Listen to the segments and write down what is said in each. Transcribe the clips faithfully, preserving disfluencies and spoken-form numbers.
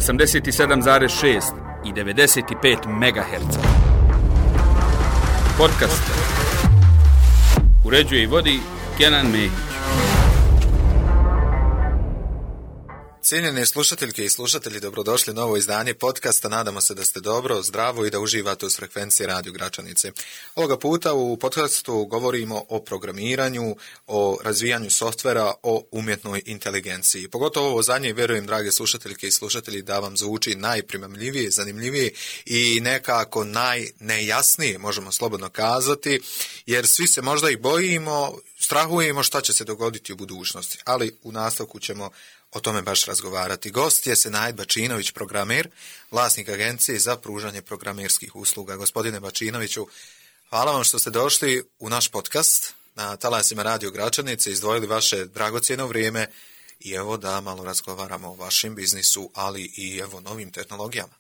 osamdeset sedam zarez šest i devedeset pet megaherca. Podcast uređuje i vodi Kenan Mehić. Cijenjene slušateljke i slušatelji, dobrodošli u novo izdanje podcasta. Nadamo se da ste dobro, zdravo i da uživate uz frekvencije Radio Gračanice. Ovoga puta u podcastu govorimo o programiranju, o razvijanju softvera, o umjetnoj inteligenciji. Pogotovo ovo zadnje, vjerujem, drage slušateljke i slušatelji, da vam zvuči najprimamljivije, zanimljivije i nekako najnejasnije, možemo slobodno kazati, jer svi se možda i bojimo, strahujemo šta će se dogoditi u budućnosti, ali u nastavku ćemo o tome baš razgovarati. Gost je Senaid Bačinović, programer, vlasnik agencije za pružanje programerskih usluga. Gospodine Bačinoviću, hvala vam što ste došli u naš podcast na talasima Radio Gračanice, izdvojili vaše dragocjeno vrijeme i evo da malo razgovaramo o vašem biznisu, ali i evo novim tehnologijama.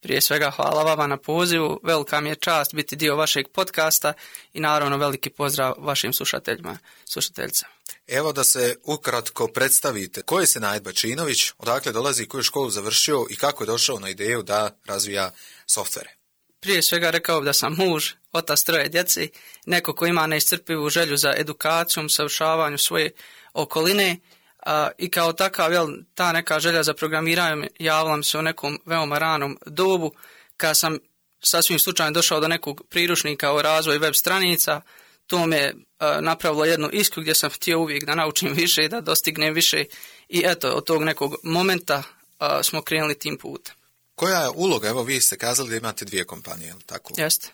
Prije svega hvala vama na pozivu, velika mi je čast biti dio vašeg podcasta i naravno veliki pozdrav vašim slušateljima, slušateljicama. Evo da se ukratko predstavite. Ko je Senaid Bačinović, odakle dolazi, koju školu završio i kako je došao na ideju da razvija softvere? Prije svega rekao da sam muž, otac troje djeci, neko ko ima neiscrpivu želju za edukacijom, savršavanju svoje okoline a, i kao takav, jel, ta neka želja za programiranjem javila mi se u nekom veoma ranom dobu, kad sam sasvim slučajno došao do nekog priručnika o razvoju web stranica. To me e, napravilo jednu iskru gdje sam htio uvijek da naučim više i da dostignem više i eto, od tog nekog momenta e, smo krenuli tim putem. Koja je uloga, evo vi ste kazali da imate dvije kompanije, je li tako? Jeste.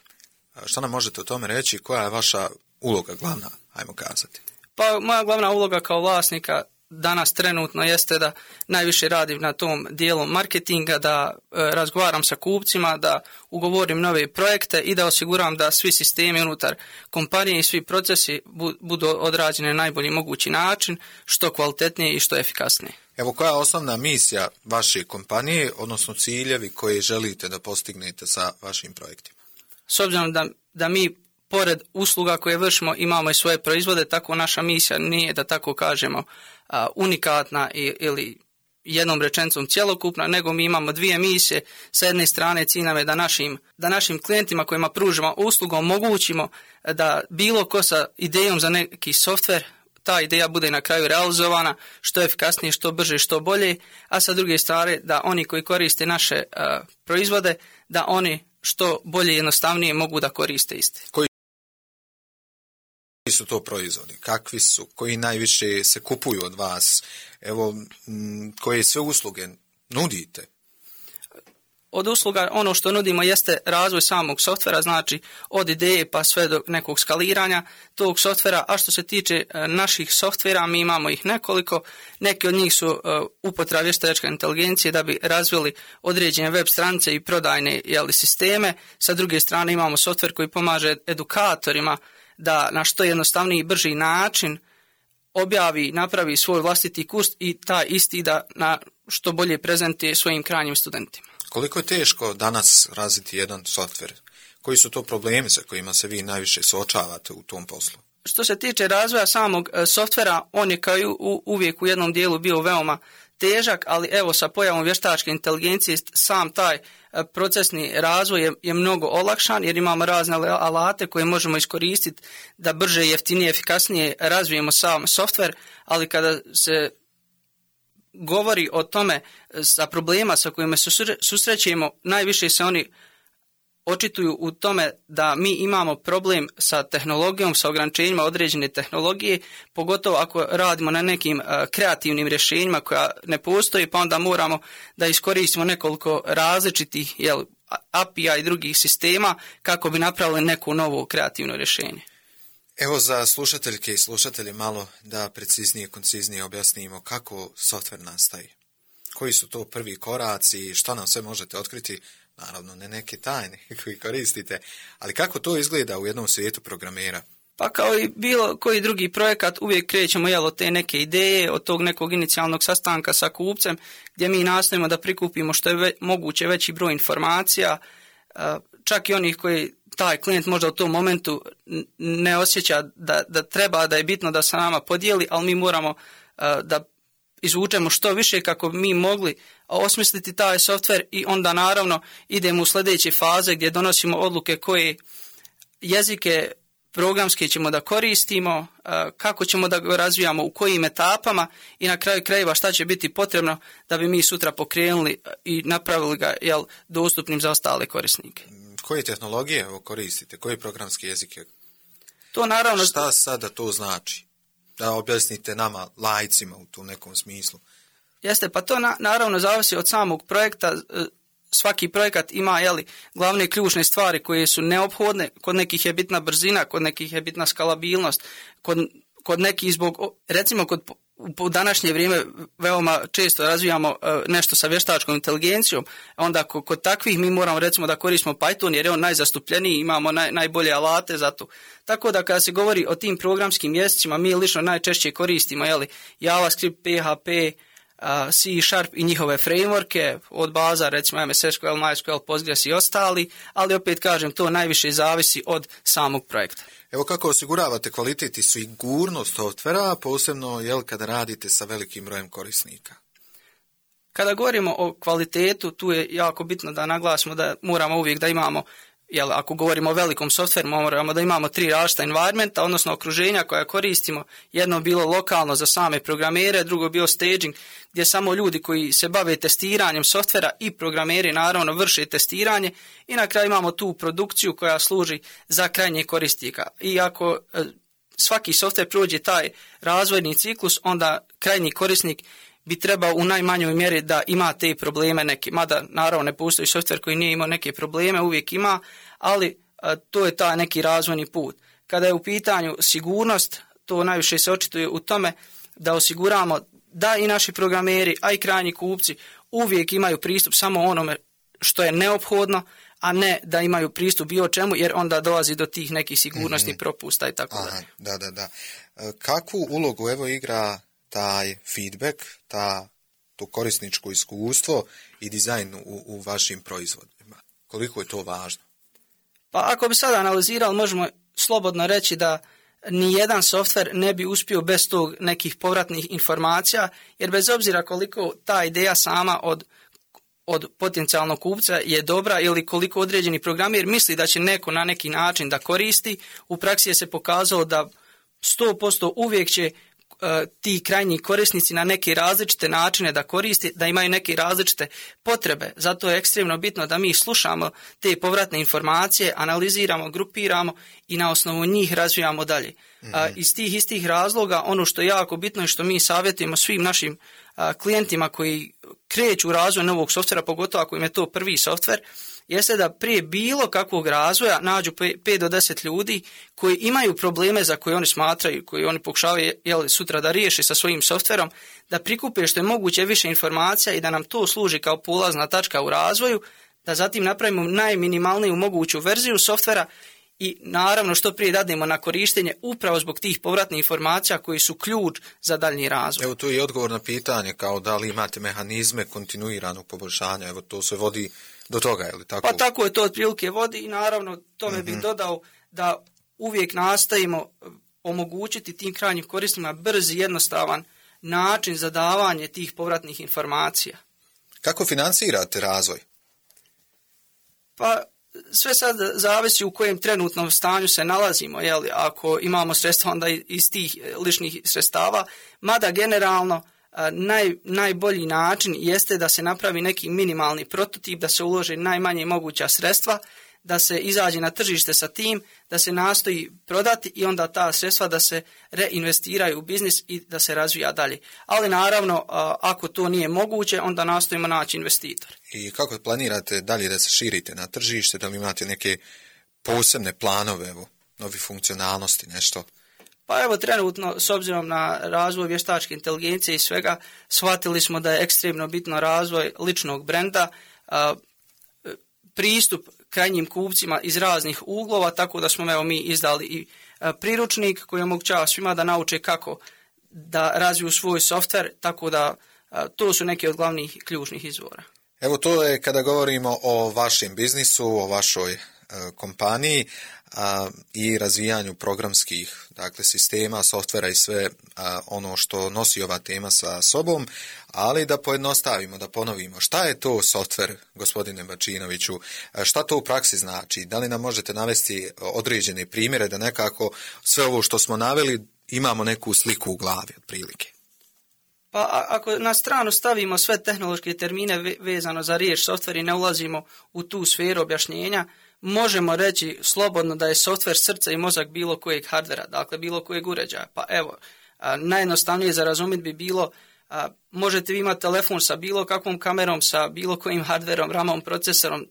Što nam možete o tome reći, koja je vaša uloga glavna, ajmo kazati? Pa moja glavna uloga kao vlasnika danas trenutno jeste da najviše radim na tom dijelu marketinga, da e, razgovaram sa kupcima, da ugovorim nove projekte i da osiguram da svi sistemi unutar kompanije i svi procesi bu, budu odrađeni na najbolji mogući način, što kvalitetnije i što efikasnije. Evo, koja je osnovna misija vaše kompanije, odnosno ciljevi koje želite da postignete sa vašim projektima? S obzirom da, da mi pored usluga koje vršimo imamo i svoje proizvode, tako naša misija nije, da tako kažemo, unikatna ili jednom rečenicom cjelokupna, nego mi imamo dvije misije. Sa jedne strane cilj nam je da našim, da našim klijentima kojima pružimo uslugu omogućimo da bilo ko sa idejom za neki softver, ta ideja bude na kraju realizovana što efikasnije, što brže, što bolje, a sa druge strane da oni koji koriste naše uh, proizvode, da oni što bolje i jednostavnije mogu da koriste iste. Koji su to proizvodi? Kakvi su? Koji najviše se kupuju od vas? Evo, m, koje sve usluge nudite? Od usluga ono što nudimo jeste razvoj samog softvera, znači od ideje pa sve do nekog skaliranja tog softvera, a što se tiče naših softvera, mi imamo ih nekoliko. Neki od njih su uh, upotreba vještačke inteligencije da bi razvili određene web stranice i prodajne, jeli, sisteme. Sa druge strane imamo softver koji pomaže edukatorima da na što jednostavniji i brži način objavi, napravi svoj vlastiti kurs i taj isti da na što bolje prezentuje svojim krajnjim studentima. Koliko je teško danas razviti jedan softver? Koji su to problemi sa kojima se vi najviše suočavate u tom poslu? Što se tiče razvoja samog softvera, on je kao i u, uvijek u jednom dijelu bio veoma težak, ali evo sa pojavom vještačke inteligencije sam taj procesni razvoj je, je mnogo olakšan jer imamo razne alate koje možemo iskoristiti da brže, jeftinije, efikasnije razvijemo sam softver, ali kada se govori o tome sa problema sa kojima se susrećemo, najviše se oni očituju u tome da mi imamo problem sa tehnologijom, sa ograničenjima određene tehnologije, pogotovo ako radimo na nekim kreativnim rješenjima koja ne postoji, pa onda moramo da iskoristimo nekoliko različitih, jel, A P I-a i drugih sistema kako bi napravili neko novo kreativno rješenje. Evo za slušateljke i slušatelje malo da preciznije, konciznije objasnimo kako softver nastaje. Koji su to prvi koraci, što nam sve možete otkriti, naravno ne neke tajne koji koristite, ali kako to izgleda u jednom svijetu programera? Pa kao i bilo koji drugi projekat uvijek krećemo, jel, od te neke ideje, od tog nekog inicijalnog sastanka sa kupcem gdje mi nastojimo da prikupimo što je ve, moguće veći broj informacija, čak i onih koji taj klijent možda u tom momentu ne osjeća da, da treba, da je bitno da se nama podijeli, ali mi moramo da izvučemo što više kako bi mi mogli osmisliti taj softver i onda naravno idemo u sljedeće faze gdje donosimo odluke koje jezike programske ćemo da koristimo, kako ćemo da ga razvijamo, u kojim etapama i na kraju krajeva šta će biti potrebno da bi mi sutra pokrenuli i napravili ga jel, dostupnim za ostale korisnike. Koje tehnologije koristite? Koji programski jezike? To naravno... Šta sada to znači? Da objasnite nama, lajcima u tom nekom smislu. Jeste, pa to na, naravno zavisi od samog projekta. Svaki projekat ima jeli, glavne ključne stvari koje su neophodne. Kod nekih je bitna brzina, kod nekih je bitna skalabilnost, kod, kod nekih zbog, recimo kod u današnje vrijeme veoma često razvijamo nešto sa vještačkom inteligencijom, onda kod takvih mi moramo recimo da koristimo Python jer je on najzastupljeniji, imamo naj, najbolje alate za to. Tako da kada se govori o tim programskim jezicima, mi lično najčešće koristimo jeli, JavaScript, P H P, C Sharp i njihove frameworke, od baza recimo M S S Q L, MySQL, Postgres i ostali, ali opet kažem to najviše zavisi od samog projekta. Evo kako osiguravate kvalitet i sigurnost softvera, posebno jel, kada radite sa velikim brojem korisnika? Kada govorimo o kvalitetu, tu je jako bitno da naglasimo da moramo uvijek da imamo, jel, ako govorimo o velikom softveru, moramo da imamo tri različita environmenta, odnosno okruženja koja koristimo. Jedno bilo lokalno za same programere, drugo bilo staging, gdje samo ljudi koji se bave testiranjem softvera i programeri naravno vrše testiranje i na kraju imamo tu produkciju koja služi za krajnje korisnika. I ako e, svaki softver prođe taj razvojni ciklus, onda krajnji korisnik bi trebao u najmanjoj mjeri da ima te probleme neke, mada naravno ne postoji softver koji nije imao neke probleme, uvijek ima, ali a, to je taj neki razvojni put. Kada je u pitanju sigurnost, to najviše se očituje u tome da osiguramo da i naši programeri, a i krajnji kupci uvijek imaju pristup samo onome što je neophodno, a ne da imaju pristup bilo čemu, jer onda dolazi do tih nekih sigurnosnih mm-hmm. propusta i tako dalje. Da, da, da. Kakvu ulogu evo igra taj feedback, ta, to korisničko iskustvo i dizajn u, u vašim proizvodima? Koliko je to važno? Pa ako bi sada analizirali, možemo slobodno reći da nijedan softver ne bi uspio bez tog nekih povratnih informacija, jer bez obzira koliko ta ideja sama od, od potencijalnog kupca je dobra ili koliko određeni programer misli da će neko na neki način da koristi, u praksi je se pokazalo da sto posto uvijek će ti krajnji korisnici na neke različite načine da koristi, da imaju neke različite potrebe. Zato je ekstremno bitno da mi slušamo te povratne informacije, analiziramo, grupiramo i na osnovu njih razvijamo dalje. Mm-hmm. A, iz tih istih razloga, ono što je jako bitno i što mi savjetujemo svim našim a, klijentima koji kreću u razvoj novog softvera, pogotovo ako im je to prvi softver, jeste da prije bilo kakvog razvoja nađu pet do deset ljudi koji imaju probleme za koje oni smatraju, koji oni pokušavaju jel, sutra da riješe sa svojim softverom, da prikupe što je moguće više informacija i da nam to služi kao polazna tačka u razvoju, da zatim napravimo najminimalniju moguću verziju softvera i naravno što prije dadnemo na korištenje upravo zbog tih povratnih informacija koji su ključ za daljnji razvoj. Evo tu je odgovor na pitanje kao da li imate mehanizme kontinuiranog poboljšanja, evo to se vodi do toga, je li tako? Pa tako je to otprilike vodi i naravno tome mm-hmm. bih dodao da uvijek nastojimo omogućiti tim krajnjim korisnicima brz i jednostavan način za davanje tih povratnih informacija. Kako financirate razvoj? Pa sve sad zavisi u kojem trenutnom stanju se nalazimo, jel? Ako imamo sredstva onda iz tih ličnih sredstava, mada generalno Naj, najbolji način jeste da se napravi neki minimalni prototip, da se ulože najmanje moguća sredstva, da se izađe na tržište sa tim, da se nastoji prodati i onda ta sredstva da se reinvestiraju u biznis i da se razvija dalje. Ali naravno, ako to nije moguće, onda nastojimo naći investitor. I kako planirate dalje da se širite na tržište, da li imate neke posebne planove, evo, novi funkcionalnosti, nešto? Pa evo trenutno, s obzirom na razvoj vještačke inteligencije i svega, shvatili smo da je ekstremno bitno razvoj ličnog brenda, a, pristup krajnjim kupcima iz raznih uglova, tako da smo evo mi izdali i a, priručnik koji omogućava svima da nauče kako da razviju svoj softver, tako da a, to su neki od glavnih ključnih izvora. Evo to je kada govorimo o vašem biznisu, o vašoj kompaniji. a, i razvijanju programskih, dakle, sistema, softvera i sve a, ono što nosi ova tema sa sobom, ali da pojednostavimo, da ponovimo. Šta je to softver, gospodine Bačinoviću? Šta to u praksi znači? Da li nam možete navesti određene primjere da nekako sve ovo što smo naveli imamo neku sliku u glavi otprilike? Pa ako na stranu stavimo sve tehnološke termine vezano za riječ softver i ne ulazimo u tu sferu objašnjenja, možemo reći slobodno da je softver srce i mozak bilo kojeg hardvera, dakle bilo kojeg uređaja. Pa evo, najjednostavnije za razumjeti bi bilo, možete vi imati telefon sa bilo kakvom kamerom, sa bilo kojim hardverom, ramom, procesorom,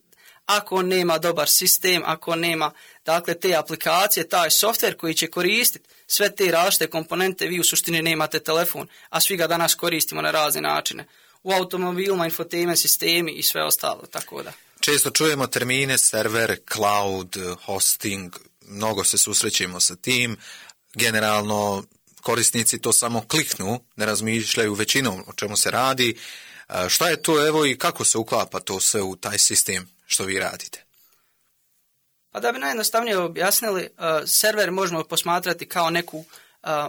ako nema dobar sistem, ako nema dakle te aplikacije, taj softver koji će koristiti sve te različite komponente, vi u suštini nemate telefon, a svi ga danas koristimo na razne načine. U automobilima, infotainment sistemi i sve ostalo, tako da. Često čujemo termine server, cloud, hosting, mnogo se susrećemo sa tim. Generalno korisnici to samo kliknu, ne razmišljaju većinom o čemu se radi. Šta je to, evo, i kako se uklapa to sve u taj sistem što vi radite? Pa da bi najjednostavnije objasnili, uh, server možemo posmatrati kao neku uh,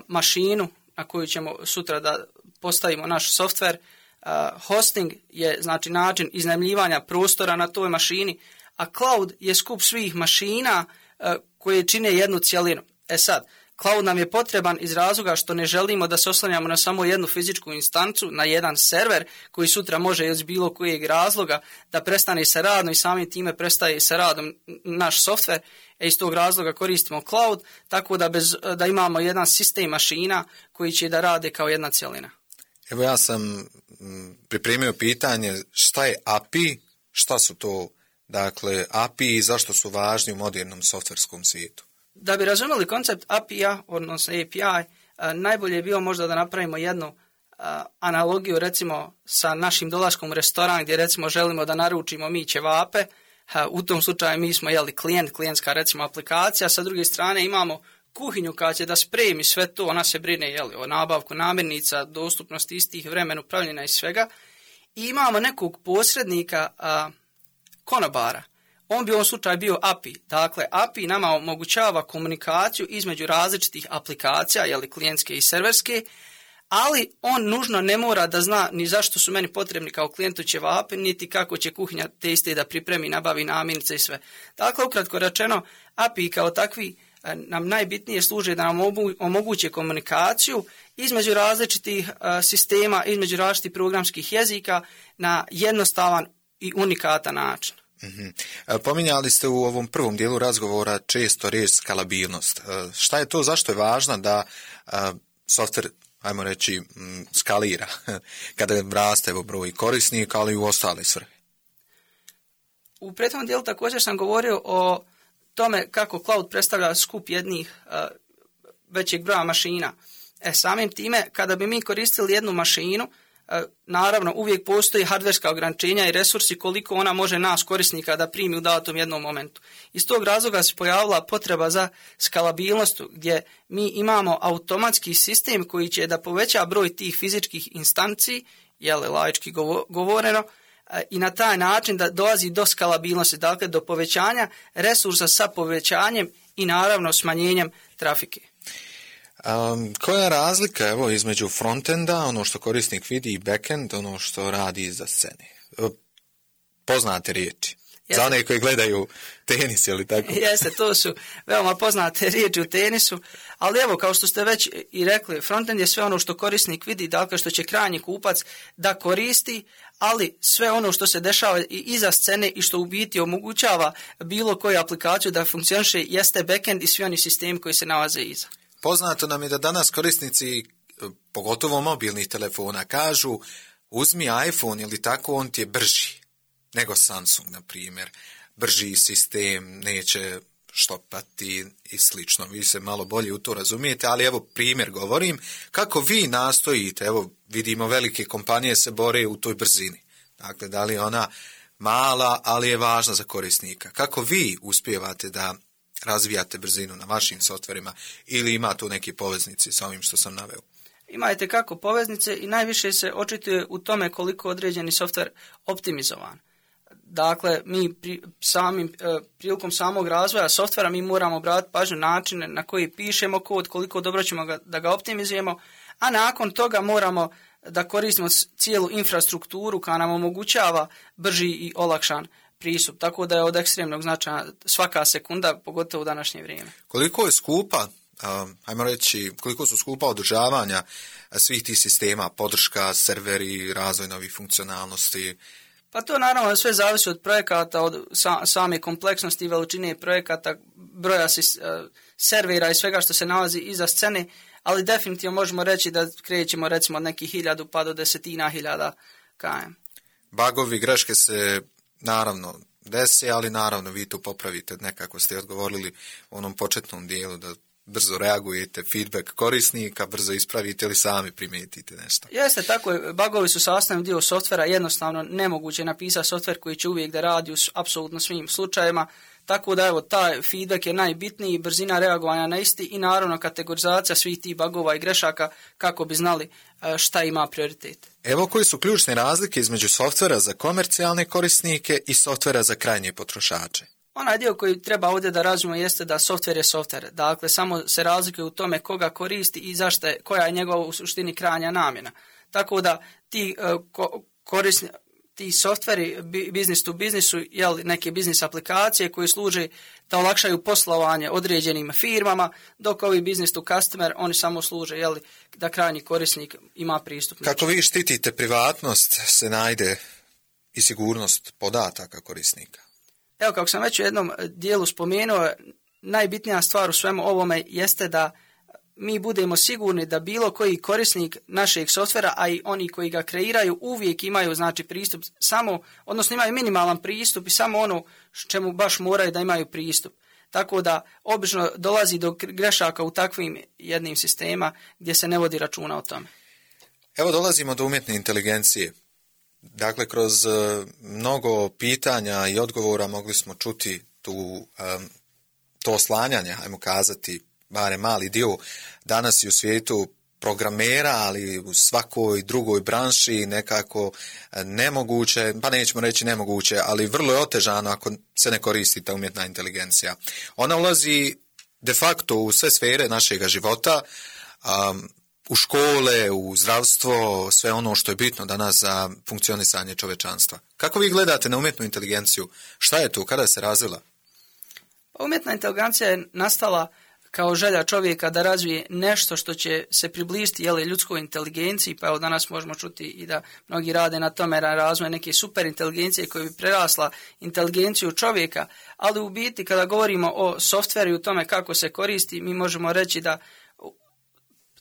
mašinu na koju ćemo sutra da postavimo naš softver. Uh, hosting je znači način iznajmljivanja prostora na toj mašini, a cloud je skup svih mašina uh, koje čine jednu cjelinu. E sad, cloud nam je potreban iz razloga što ne želimo da se oslanjamo na samo jednu fizičku instancu, na jedan server koji sutra može iz bilo kojeg razloga da prestane sa radom i samim time prestaje sa radom naš softver. E iz tog razloga koristimo cloud, tako da, bez, da imamo jedan sistem mašina koji će da rade kao jedna cjelina. Evo ja sam pripremio pitanje šta je A P I, šta su to dakle A P I i zašto su važni u modernom softverskom svijetu. Da bi razumjeli koncept A P I-a, odnosno A P I, najbolje je bilo možda da napravimo jednu analogiju recimo sa našim dolaskom u restoran gdje recimo želimo da naručimo mi ćevape. U tom slučaju mi smo jeli klijent, klijentska recimo aplikacija, sa druge strane imamo kuhinju koja će da spremi sve to, ona se brine jeli, o nabavku namirnica, dostupnosti istih, vremenu pravljenja i svega. I imamo nekog posrednika a, konobara. On bi u ovom slučaju bio A P I. Dakle, A P I nama omogućava komunikaciju između različitih aplikacija, jeli klijentske i serverske, ali on nužno ne mora da zna ni zašto su meni potrebni kao klijentu ćevapi, niti kako će kuhinja te iste da pripremi, nabavi namirnice i sve. Dakle, ukratko rečeno, A P I kao takvi nam najbitnije služe da nam omoguće komunikaciju između različitih sistema, između različitih programskih jezika na jednostavan i unikatan način. Mm-hmm. Pominjali ste u ovom prvom dijelu razgovora često riječ skalabilnost. Šta je to, zašto je važno da softver, ajmo reći, skalira kada raste broj korisnika, ali i u ostale svrhe? U prethodnom dijelu također sam govorio o tome kako cloud predstavlja skup jednih uh, većeg broja mašina. E, samim time, kada bi mi koristili jednu mašinu, uh, naravno uvijek postoji hardverska ograničenja i resursi koliko ona može nas korisnika da primi u datom jednom momentu. Iz tog razloga se pojavila potreba za skalabilnost gdje mi imamo automatski sistem koji će da poveća broj tih fizičkih instanci, jele laički govoreno, i na taj način da dolazi do skalabilnosti, dakle do povećanja resursa sa povećanjem i naravno smanjenjem trafike. Um, koja je razlika evo, između frontenda, ono što korisnik vidi, i backend, ono što radi iza scene? Poznate riječi. Jeste. Za one koji gledaju tenis ili tako? Jeste, to su veoma poznate riječi u tenisu, ali evo, kao što ste već i rekli, frontend je sve ono što korisnik vidi, dakle što će krajnji kupac da koristi, ali sve ono što se dešava i iza scene i što u biti omogućava bilo koju aplikaciju da funkcioniše jeste backend i svi oni sistemi koji se nalaze iza. Poznato nam je da danas korisnici, pogotovo mobilnih telefona, kažu uzmi iPhone ili tako, on ti je brži nego Samsung, na primjer. Brži sistem, neće štopati i slično. Vi se malo bolje u to razumijete, ali evo primjer govorim. Kako vi nastojite, evo vidimo velike kompanije se bore u toj brzini. Dakle, da li ona mala, ali je važna za korisnika. Kako vi uspijevate da razvijate brzinu na vašim softverima ili ima tu neki poveznici sa ovim što sam naveo? Imate kako poveznice i najviše se očituje u tome koliko određeni softver optimizovan. dakle, mi pri, samim, prilikom samog razvoja softvera mi moramo obratiti pažnju načine na koji pišemo kod, koliko dobro ćemo ga, da ga optimizujemo, a nakon toga moramo da koristimo cijelu infrastrukturu koja nam omogućava brži i olakšan pristup. Tako da je od ekstremnog značaja svaka sekunda, pogotovo u današnje vrijeme. Koliko je skupa, um, ajmo reći, koliko su skupa održavanja svih tih sistema, podrška, serveri, razvoj novih funkcionalnosti? Pa to naravno sve zavisi od projekata, od sa, same kompleksnosti i veličine projekata, broja si, uh, servera i svega što se nalazi iza scene, ali definitivno možemo reći da krećemo recimo od nekih hiljadu pa do desetina hiljada km. Bagovi, greške se naravno desi, ali naravno vi tu popravite, nekako ste odgovorili u onom početnom dijelu da brzo reagujete, feedback korisnika, brzo ispravite ili sami primijetite nešto. Jeste, tako je. Bagovi su sastavni dio softvera, jednostavno nemoguće napisati softver koji će uvijek da radi u apsolutno svim slučajevima, tako da evo, taj feedback je najbitniji, brzina reagovanja na isti i naravno kategorizacija svih tih bagova i grešaka kako bi znali šta ima prioritet. Evo koji su ključne razlike između softvera za komercijalne korisnike i softvera za krajnje potrošače. Onaj dio koji treba ovdje da razumemo jeste da softver je softver. Dakle, samo se razlikuje u tome koga koristi i zašto je, koja je njegova u suštini krajnja namjena. Tako da ti uh, ko, korisni, ti softveri business to business su jel, neke biznis aplikacije koje služe da olakšaju poslovanje određenim firmama, dok ovi business to customer, oni samo služe jel, da krajnji korisnik ima pristup. Kako vi štitite privatnost, se najde i sigurnost podataka korisnika? Evo, kako sam već u jednom dijelu spomenuo, najbitnija stvar u svemu ovome jeste da mi budemo sigurni da bilo koji korisnik našeg softvera, a i oni koji ga kreiraju, uvijek imaju znači pristup samo, odnosno imaju minimalan pristup i samo ono čemu baš moraju da imaju pristup. Tako da obično dolazi do grešaka u takvim jednim sistema gdje se ne vodi računa o tome. Evo dolazimo do umjetne inteligencije. Dakle, kroz uh, mnogo pitanja i odgovora mogli smo čuti tu, um, to oslanjanje, ajmo kazati, barem mali dio danas i u svijetu programera, ali u svakoj drugoj branši nekako nemoguće, pa nećemo reći nemoguće, ali vrlo je otežano ako se ne koristi ta umjetna inteligencija. Ona ulazi de facto u sve sfere našega života, um, u škole, u zdravstvo, sve ono što je bitno danas za funkcionisanje čovečanstva. Kako vi gledate na umjetnu inteligenciju? Šta je tu? Kada se razvila? Umjetna inteligencija je nastala kao želja čovjeka da razvije nešto što će se približiti jeli, ljudskoj inteligenciji, pa evo danas možemo čuti i da mnogi rade na tome na razvoju neke super inteligencije koja bi prerasla inteligenciju čovjeka, ali u biti kada govorimo o softveru i u tome kako se koristi, mi možemo reći da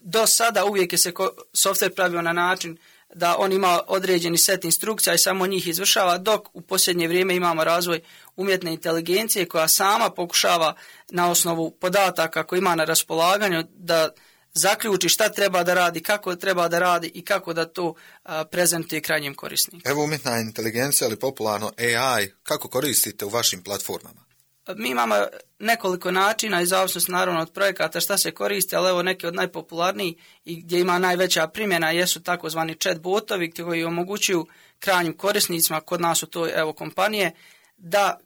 do sada uvijek je se softver pravio na način da on ima određeni set instrukcija i samo njih izvršava, dok u posljednje vrijeme imamo razvoj umjetne inteligencije koja sama pokušava na osnovu podataka koje ima na raspolaganju da zaključi šta treba da radi, kako treba da radi i kako da to a, prezentuje krajnjem korisniku. Evo umjetna inteligencija, ali popularno A I, kako koristite u vašim platformama? Mi imamo nekoliko načina i zavisnosti naravno od projekata šta se koristi, ali evo neke od najpopularnijih i gdje ima najveća primjena jesu takozvani chat botovi koji omogućuju krajnjim korisnicima, kod nas su to evo kompanije, da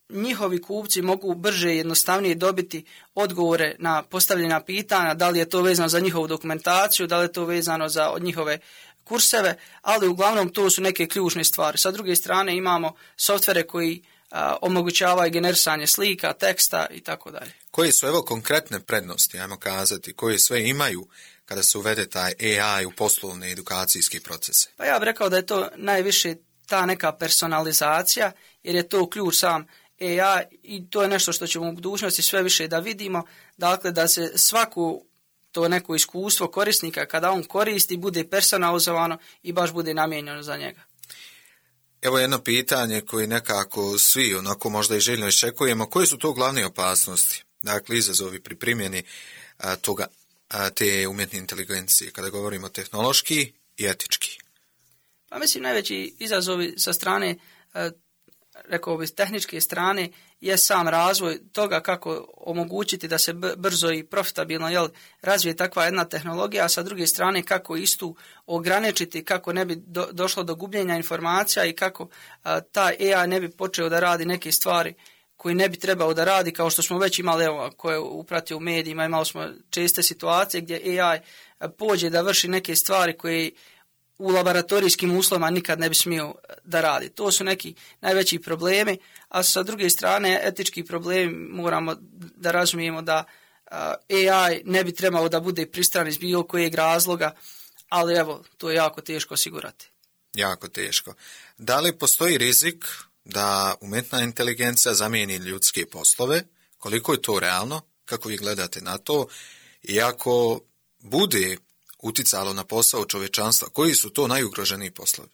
njihovi kupci mogu brže i jednostavnije dobiti odgovore na postavljena pitanja, da li je to vezano za njihovu dokumentaciju, da li je to vezano za od njihove kurseve, ali uglavnom to su neke ključne stvari. Sa druge strane imamo softvere koji a, omogućavaju generisanje slika, teksta i tako dalje. Koje su evo konkretne prednosti, ajmo kazati, koje sve imaju kada se uvede taj A I u poslovne edukacijske procese? Pa ja bih rekao da je to najviše ta neka personalizacija, jer je to ključ sam A I i to je nešto što ćemo u budućnosti sve više da vidimo, dakle da se svaku to neko iskustvo korisnika kada on koristi bude personalizovano i baš bude namijenjeno za njega. Evo jedno pitanje koje nekako svi onako možda i željno iščekujemo, koje su to glavne opasnosti, dakle izazovi pri primjeni a, toga, a, te umjetne inteligencije, kada govorimo tehnološki i etički? Pa mislim najveći izazovi sa strane a, rekao bi, tehničke strane je sam razvoj toga kako omogućiti da se brzo i profitabilno jel, razvije takva jedna tehnologija, a sa druge strane kako istu ograničiti, kako ne bi do, došlo do gubljenja informacija i kako a, taj A I ne bi počeo da radi neke stvari koji ne bi trebao da radi, kao što smo već imali, evo, koje upratio u medijima, imali smo česte situacije gdje A I pođe da vrši neke stvari koje u laboratorijskim uslovima nikad ne bi smio da radi. To su neki najveći problemi, a sa druge strane etički problemi moramo da razumijemo da A I ne bi trebao da bude pristran iz bilo kojeg razloga, ali evo, to je jako teško osigurati. Jako teško. Da li postoji rizik da umjetna inteligencija zamijeni ljudske poslove? Koliko je to realno? Kako vi gledate na to? I ako bude uticalo na posao čovječanstva, koji su to najugroženiji poslovi?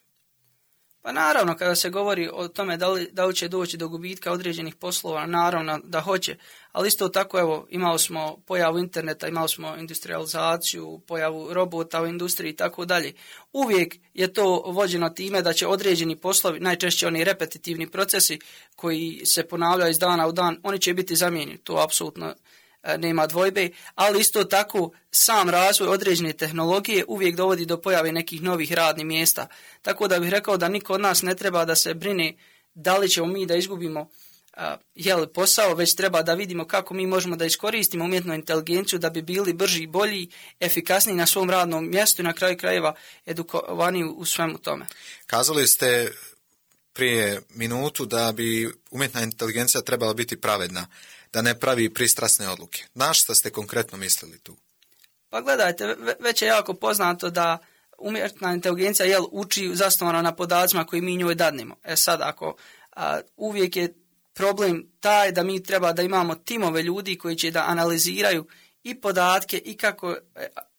Pa naravno, kada se govori o tome da li, da li će doći do gubitka određenih poslova, naravno da hoće, ali isto tako, evo, imali smo pojavu interneta, imali smo industrializaciju, pojavu robota u industriji i tako dalje. Uvijek je to vođeno time da će određeni poslovi, najčešće oni repetitivni procesi koji se ponavljaju iz dana u dan, oni će biti zamijenjeni, to apsolutno nema dvojbe, ali isto tako sam razvoj određene tehnologije uvijek dovodi do pojave nekih novih radnih mjesta. Tako da bih rekao da niko od nas ne treba da se brine da li ćemo mi da izgubimo a, jel, posao, već treba da vidimo kako mi možemo da iskoristimo umjetnu inteligenciju da bi bili brži, bolji, efikasniji na svom radnom mjestu i na kraju krajeva edukovani u svemu tome. Kazali ste prije minutu da bi umjetna inteligencija trebala biti pravedna, da ne pravi pristrasne odluke. Na šta ste konkretno mislili tu? Pa gledajte, već je jako poznato da umjetna inteligencija jel, uči zasnovano na podacima koji mi njoj dadnemo. E sad, ako a, uvijek je problem taj da mi treba da imamo timove ljudi koji će da analiziraju i podatke i kako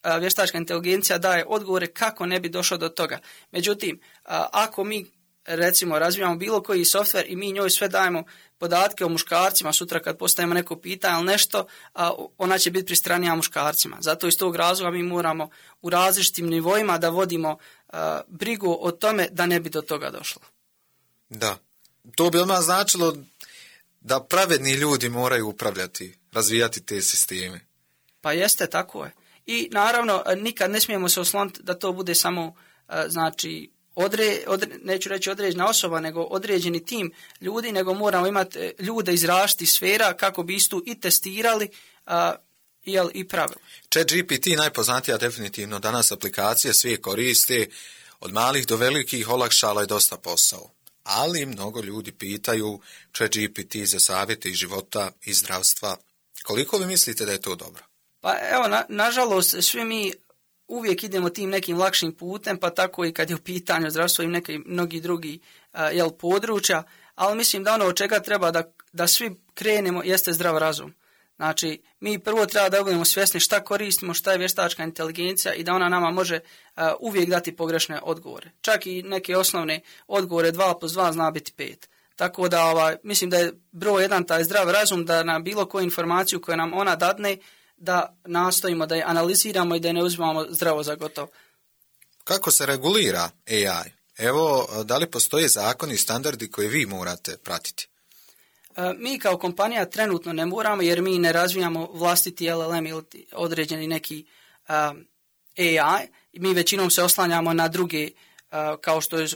a, vještačka inteligencija daje odgovore kako ne bi došlo do toga. Međutim, a, ako mi recimo razvijamo bilo koji softver i mi njoj sve dajemo podatke o muškarcima, sutra kad postavimo neko pitanje ili nešto, a, ona će biti pristranija muškarcima. Zato iz tog razloga mi moramo u različitim nivoima da vodimo a, brigu o tome da ne bi do toga došlo. Da. To bi odmah značilo da pravedni ljudi moraju upravljati, razvijati te sisteme. Pa jeste, tako je. I naravno, nikad ne smijemo se osloniti da to bude samo, a, znači, Odre, odre, neću reći određena osoba, nego određeni tim ljudi, nego moramo imati ljude iz različitih sfera kako bi istu i testirali a, jel, i pravili. ChatGPT najpoznatija definitivno danas aplikacije, svi koriste, od malih do velikih olakšala je dosta posao. Ali mnogo ljudi pitaju ChatGPT za savjete iz života i zdravstva. Koliko vi mislite da je to dobro? Pa evo, na, nažalost, svi mi uvijek idemo tim nekim lakšim putem, pa tako i kad je u pitanju zdravstvo i neki mnogi drugi a, jel, područja, ali mislim da ono od čega treba da, da svi krenemo jeste zdrav razum. Znači, mi prvo treba da budemo svjesni šta koristimo, šta je vještačka inteligencija i da ona nama može a, uvijek dati pogrešne odgovore. Čak i neke osnovne odgovore dva plus dva zna biti pet. Tako da ovaj, mislim da je broj jedan taj zdrav razum, da na bilo koju informaciju koju nam ona dadne, da nastojimo da je analiziramo i da je ne uzimamo zdravo za gotovo. Kako se regulira A I? Evo, da li postoje zakoni i standardi koje vi morate pratiti? E, mi kao kompanija trenutno ne moramo jer mi ne razvijamo vlastiti L L M ili određeni neki um, A I. Mi većinom se oslanjamo na druge uh, kao što je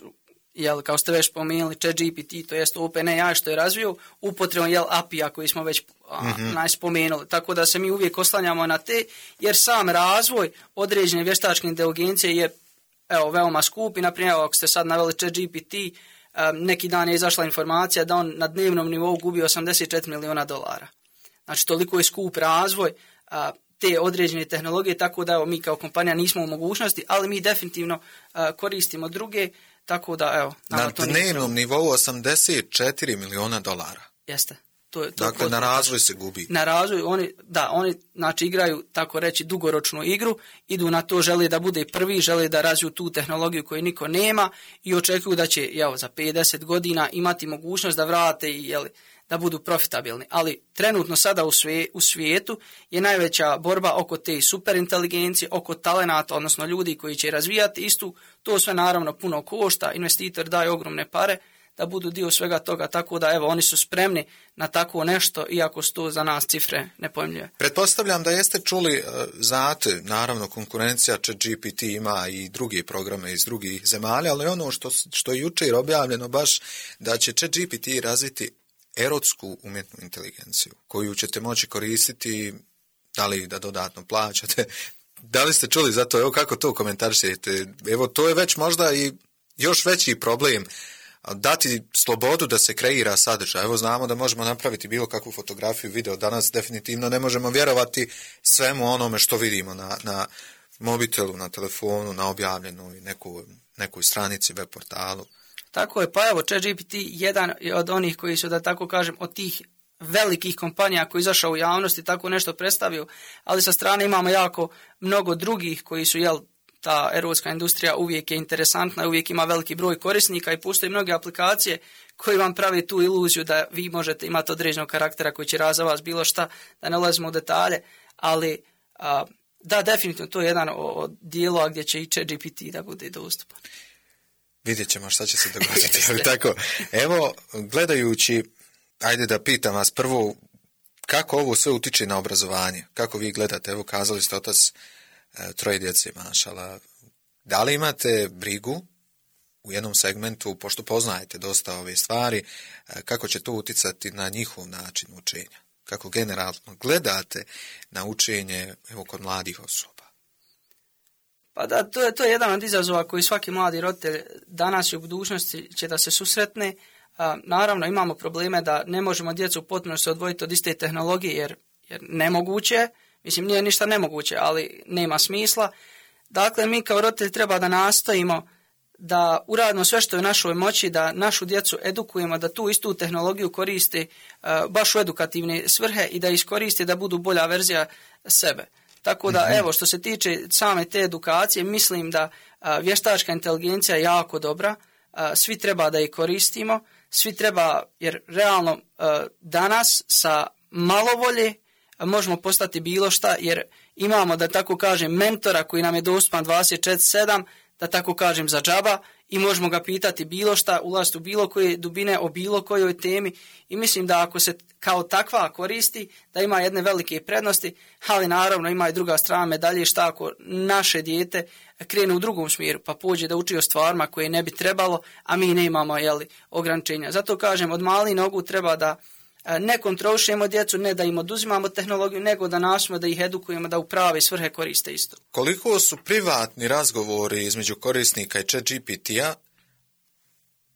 jel, kao ste već spomenuli, ChatGPT, to jest OpenAI što je razvio, upotrebom jel, A P I-a koji smo već mm-hmm. najspomenuli. Tako da se mi uvijek oslanjamo na te, jer sam razvoj određene vještačke inteligencije je evo, veoma skup i, naprimjer, ako ste sad naveli ChatGPT, um, neki dan je izašla informacija da on na dnevnom nivou gubi osamdeset četiri miliona dolara. Znači, toliko je skup razvoj uh, te određene tehnologije, tako da evo, mi kao kompanija nismo u mogućnosti, ali mi definitivno uh, koristimo druge. Tako da, evo, na dnevnom nivou osamdeset četiri miliona dolara. Jeste. To je, to dakle, potpuno. Na razvoj se gubi. Na razvoj, oni, da, oni znači, igraju, tako reći, dugoročnu igru, idu na to, žele da bude prvi, žele da razviju tu tehnologiju koju niko nema i očekuju da će, evo, za pedeset godina imati mogućnost da vrate i, jeli, da budu profitabilni. Ali trenutno sada u, sve, u svijetu je najveća borba oko te superinteligencije, oko talenata, odnosno ljudi koji će razvijati istu. To sve naravno puno košta, investitor daje ogromne pare, da budu dio svega toga, tako da evo oni su spremni na tako nešto, iako su to za nas cifre nepojmljive. Pretpostavljam da jeste čuli, znate, naravno konkurencija ChatGPT ima i druge programe iz drugih zemalja, ali ono što, što je jučer objavljeno baš da će ChatGPT razviti erotsku umjetnu inteligenciju koju ćete moći koristiti, da li da dodatno plaćate. Da li ste čuli za to? Evo kako to komentarišete? Evo to je već možda i još veći problem, dati slobodu da se kreira sadržaj. Evo znamo da možemo napraviti bilo kakvu fotografiju, video. Danas definitivno ne možemo vjerovati svemu onome što vidimo na, na mobitelu, na telefonu, na objavljenoj nekoj, nekoj stranici, web portalu. Tako je, pa evo ChatGPT jedan od onih koji su, da tako kažem, od tih velikih kompanija koji izašao u javnosti tako nešto predstavio, ali sa strane imamo jako mnogo drugih koji su, jel, ta erotska industrija uvijek je interesantna, uvijek ima veliki broj korisnika i postoje mnoge aplikacije koji vam pravi tu iluziju da vi možete imati određenog karaktera koji će razza vas bilo šta, da ne ulazimo u detalje, ali a, da, definitivno to je jedan od dijelova gdje će i ChatGPT da bude dostupan. Vidjet ćemo šta će se dogoditi. Ali tako, evo, gledajući, ajde da pitam vas prvo, kako ovo sve utiče na obrazovanje? Kako vi gledate? Evo, kazali ste otac e, troje djece, mašala. Da li imate brigu u jednom segmentu, pošto poznajete dosta ove stvari, e, kako će to uticati na njihov način učenja? Kako generalno gledate na učenje, evo, kod mladih osoba? Pa da, to je, to je jedan od izazova koji svaki mladi roditelj danas i u budućnosti će da se susretne. A, naravno, imamo probleme da ne možemo djecu potpuno se odvojiti od iste tehnologije, jer, jer nemoguće, mislim nije ništa nemoguće, ali nema smisla. Dakle, mi kao roditelji treba da nastojimo da uradimo sve što je u našoj moći, da našu djecu edukujemo, da tu istu tehnologiju koriste a, baš u edukativne svrhe i da iskoriste da budu bolja verzija sebe. Tako da, evo, što se tiče same te edukacije, mislim da a, vještačka inteligencija je jako dobra, a, svi treba da je koristimo, svi treba, jer realno a, danas sa malo volje a, možemo postati bilo šta, jer imamo, da tako kažem, mentora koji nam je dostupan dvadeset četiri sedam, da tako kažem, za džaba i možemo ga pitati bilo šta, ulaziti u bilo koje dubine o bilo kojoj temi i mislim da ako se kao takva koristi, da ima jedne velike prednosti, ali naravno ima i druga strana medalje, šta ako naše dijete krene u drugom smjeru, pa pođe da uči o stvarima koje ne bi trebalo, a mi ne imamo, jeli, ograničenja. Zato kažem, od malih nogu treba da ne kontrolišemo djecu, ne da im oduzimamo tehnologiju, nego da nastojimo da ih edukujemo da u prave svrhe koriste isto. Koliko su privatni razgovori između korisnika i ChatGPT-a,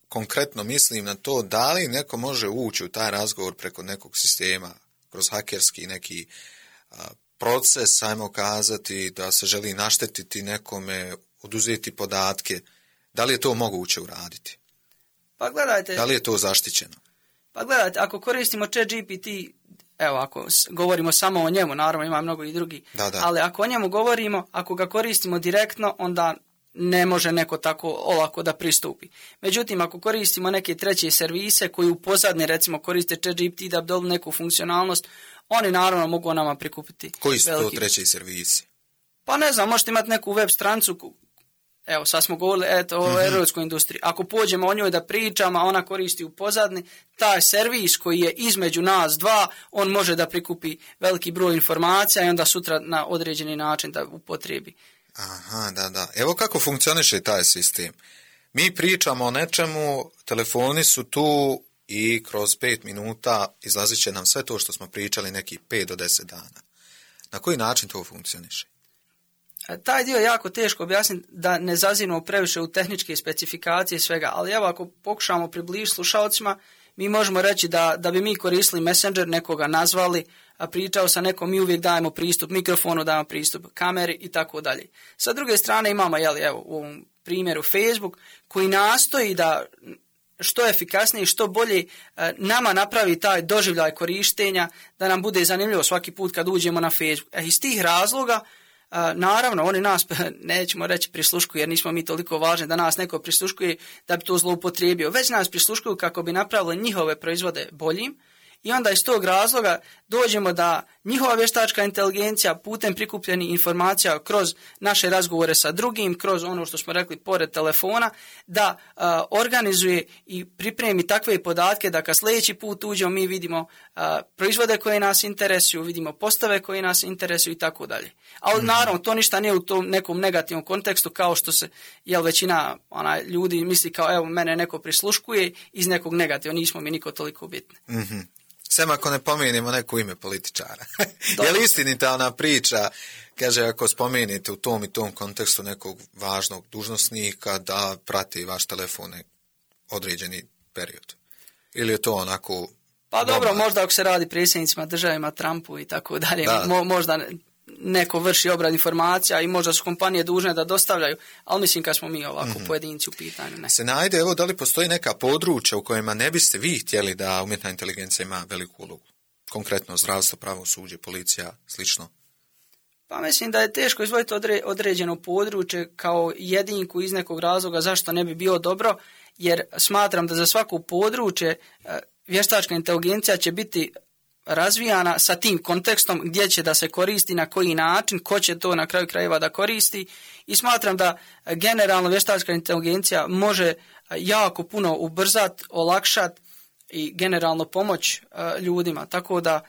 konkretno mislim na to da li neko može ući u taj razgovor preko nekog sistema, kroz hakerski neki a, proces, ajmo kazati, da se želi naštetiti nekome, oduzeti podatke, da li je to moguće uraditi? Pa gledajte... Da li je to zaštićeno? Pa gledajte, ako koristimo ChatGPT, evo, ako govorimo samo o njemu, naravno ima mnogo i drugi, da, da. ali ako o njemu govorimo, ako ga koristimo direktno, onda ne može neko tako olako da pristupi. Međutim, ako koristimo neke treće servise koji u pozadnje, recimo, koriste ChatGPT da bi dobili neku funkcionalnost, oni naravno mogu nama prikupiti. Koji su veliki... to treći servisi? Pa ne znam, možete imati neku web strancu. Evo, sad smo govorili eto, o mm-hmm. erotskoj industriji. Ako pođemo o njoj da pričamo, a ona koristi u pozadni, taj servis koji je između nas dva, on može da prikupi veliki broj informacija i onda sutra na određeni način da upotrebi. Aha, da, da. Evo kako funkcioniše taj sistem. Mi pričamo o nečemu, telefoni su tu i kroz pet minuta izlazit će nam sve to što smo pričali nekih pet do deset dana. Na koji način to funkcioniše? Taj dio je jako teško objasniti da ne zaziramo previše u tehničke specifikacije i svega, ali evo ako pokušamo približiti slušalcima, mi možemo reći da, da bi mi koristili Messenger, nekoga nazvali, a pričao sa nekom, mi uvijek dajemo pristup mikrofonu, dajemo pristup kameri i tako dalje. Sa druge strane imamo, jeli, evo, u ovom primjeru Facebook, koji nastoji da što efikasnije i što bolje nama napravi taj doživljaj korištenja, da nam bude zanimljivo svaki put kad uđemo na Facebook. E, iz tih razloga, A, naravno, oni nas, nećemo reći prisluškuju, jer nismo mi toliko važni da nas neko prisluškuje da bi to zloupotrijebio, već nas prisluškuju kako bi napravili njihove proizvode boljim i onda iz tog razloga dođemo da njihova vještačka inteligencija putem prikupljenih informacija kroz naše razgovore sa drugim, kroz ono što smo rekli pored telefona, da a, organizuje i pripremi takve podatke da kad sljedeći put uđemo mi vidimo a, proizvode koje nas interesuju, vidimo postave koje nas interesuju i tako dalje. Ali naravno to ništa nije u tom nekom negativnom kontekstu kao što se jel većina ona, ljudi misli kao evo mene neko prisluškuje iz nekog negativa, nismo mi niko toliko bitni. Mm-hmm. Sem ako ne pomenemo neko ime političara. Je li istinita ona priča, kaže ako spomenete u tom i tom kontekstu nekog važnog dužnosnika da prati vaš telefon određeni period? Ili je to onako... Pa dobro, dobar? Možda ako se radi predsjednicima državima, Trumpu i tako dalje, Mo, možda neko vrši obrad informacija i možda su kompanije dužne da dostavljaju, ali mislim kad smo mi ovako mm-hmm. pojedinci u pitanju. Ne. Se najde, evo, da li postoji neka područja u kojima ne biste vi htjeli da umjetna inteligencija ima veliku ulogu? Konkretno zdravstvo, pravosuđe, policija, slično? Pa mislim da je teško izvojiti odre, određeno područje kao jedinku iz nekog razloga zašto ne bi bilo dobro, jer smatram da za svako područje vještačka inteligencija će biti razvijana sa tim kontekstom gdje će da se koristi, na koji način, ko će to na kraju krajeva da koristi i smatram da generalno vještačka inteligencija može jako puno ubrzati, olakšati i generalno pomoć ljudima, tako da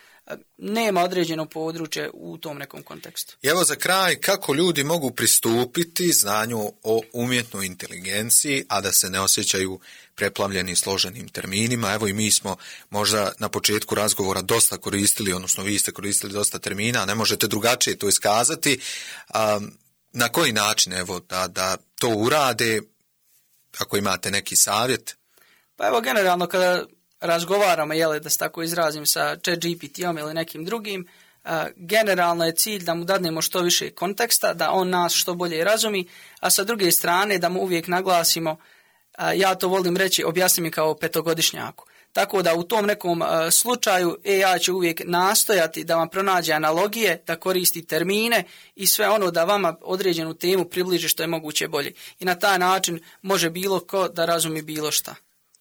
nema određeno područje u tom nekom kontekstu. I evo za kraj, kako ljudi mogu pristupiti znanju o umjetnoj inteligenciji, a da se ne osjećaju preplavljeni složenim terminima? Evo i mi smo možda na početku razgovora dosta koristili, odnosno vi ste koristili dosta termina, ne možete drugačije to iskazati. Um, na koji način evo da, da to urade, ako imate neki savjet? Pa evo generalno kada razgovaramo, jeli, da se tako izrazim, sa ChatGPT-om ili nekim drugim, uh, generalno je cilj da mu dadnemo što više konteksta, da on nas što bolje razumi, a sa druge strane da mu uvijek naglasimo, uh, ja to volim reći, objasni mi kao petogodišnjaku. Tako da u tom nekom uh, slučaju A I će uvijek nastojati da vam pronađe analogije, da koristi termine i sve ono da vama određenu temu približi što je moguće bolje. I na taj način može bilo ko da razumi bilo šta.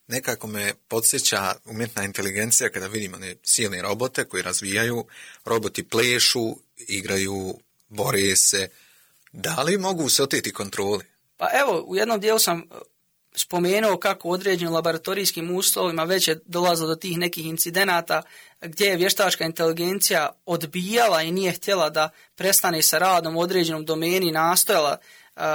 Nekako me podsjeća umjetna inteligencija kada vidimo one silne robote koji razvijaju, roboti plešu, igraju, bore se. Da li mogu se oteti kontroli? Pa evo, u jednom dijelu sam spomenuo kako u određenim laboratorijskim uslovima već je dolazilo do tih nekih incidenata gdje je vještačka inteligencija odbijala i nije htjela da prestane sa radom u određenom domeni i nastojala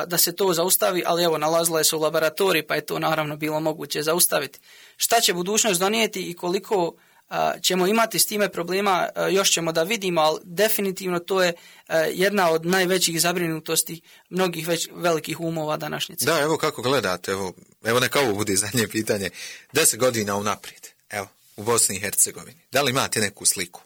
da se to zaustavi, ali evo nalazila je se u laboratoriji pa je to naravno bilo moguće zaustaviti. Šta će budućnost donijeti i koliko a, ćemo imati s time problema, a, još ćemo da vidimo, ali definitivno to je a, jedna od najvećih zabrinutosti mnogih već velikih umova današnjice. Da, evo kako gledate, evo, evo neka ovo bude zadnje pitanje, deset godina unaprijed, evo, u Bosni i Hercegovini, da li imate neku sliku?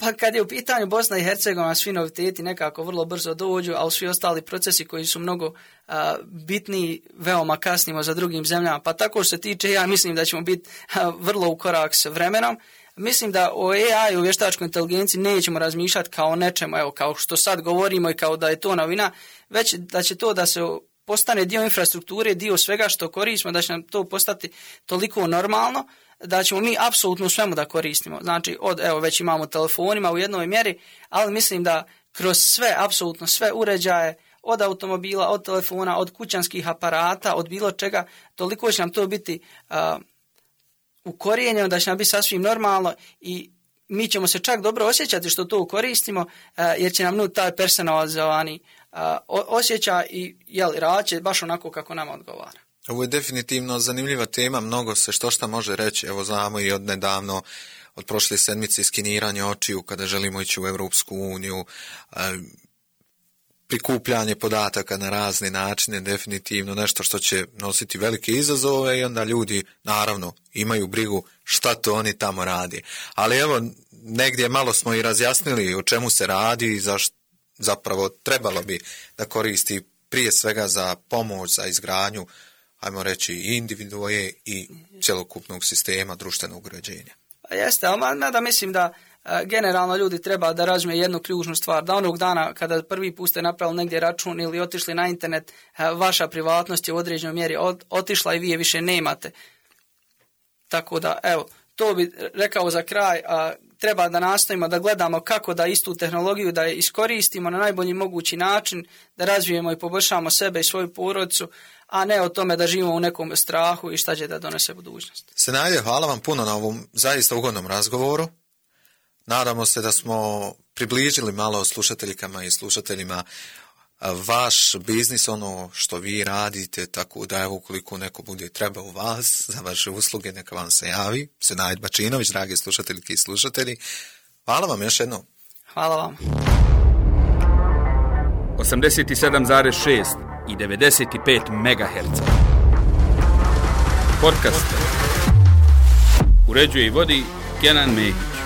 Pa kad je u pitanju Bosna i Hercegovina, svi noviteti nekako vrlo brzo dođu, ali svi ostali procesi koji su mnogo a, bitniji, veoma kasnimo za drugim zemljama. Pa tako što se tiče, ja mislim da ćemo biti a, vrlo u korak s vremenom. Mislim da o A I, o vještačkoj inteligenciji, nećemo razmišljati kao nečemu, evo, kao što sad govorimo i kao da je to novina, već da će to da se postane dio infrastrukture, dio svega što koristimo, da će nam to postati toliko normalno, da ćemo mi apsolutno svemu da koristimo. Znači, od, evo, već imamo telefonima u jednoj mjeri, ali mislim da kroz sve, apsolutno sve uređaje, od automobila, od telefona, od kućanskih aparata, od bilo čega, toliko će nam to biti uh, ukorijenjeno, da će nam biti sasvim normalno i mi ćemo se čak dobro osjećati što to koristimo, uh, jer će nam nut taj personalizovani uh, osjećaj i jel, rad će baš onako kako nam odgovara. Ovo je definitivno zanimljiva tema, mnogo se što šta može reći, evo znamo i od nedavno, od prošle sedmice skeniranje očiju kada želimo ići u Europsku uniju, prikupljanje podataka na razne načine, definitivno nešto što će nositi velike izazove i onda ljudi naravno imaju brigu šta to oni tamo radi. Ali evo, negdje malo smo i razjasnili o čemu se radi i zašto zapravo trebalo bi da koristi prije svega za pomoć, za izgradnju, ajmo reći, i individue i cjelokupnog sistema društvenog uređenja. Pa jeste, ali da mislim da a, generalno ljudi treba da razumije jednu ključnu stvar, da onog dana kada prvi put ste napravili negdje račun ili otišli na internet, a, vaša privatnost je u određenoj mjeri od, otišla i vi je više nemate. Tako da, evo, to bi rekao za kraj, a, treba da nastavimo da gledamo kako da istu tehnologiju da je iskoristimo na najbolji mogući način, da razvijemo i poboljšamo sebe i svoju porodicu, a ne o tome da živimo u nekom strahu i šta će da donese budućnost. Senajde, hvala vam puno na ovom zaista ugodnom razgovoru. Nadamo se da smo približili malo slušateljikama i slušateljima vaš biznis, ono što vi radite, tako da evo ukoliko neko bude treba u vas za vaše usluge, neka vam se javi. Senajde Bačinović, dragi slušateljki i slušatelji, hvala vam još jednom. Hvala vam. osamdeset sedam zarez šest i devedeset pet megaherca. Podcast. Uređuje i vodi Kenan Mehić.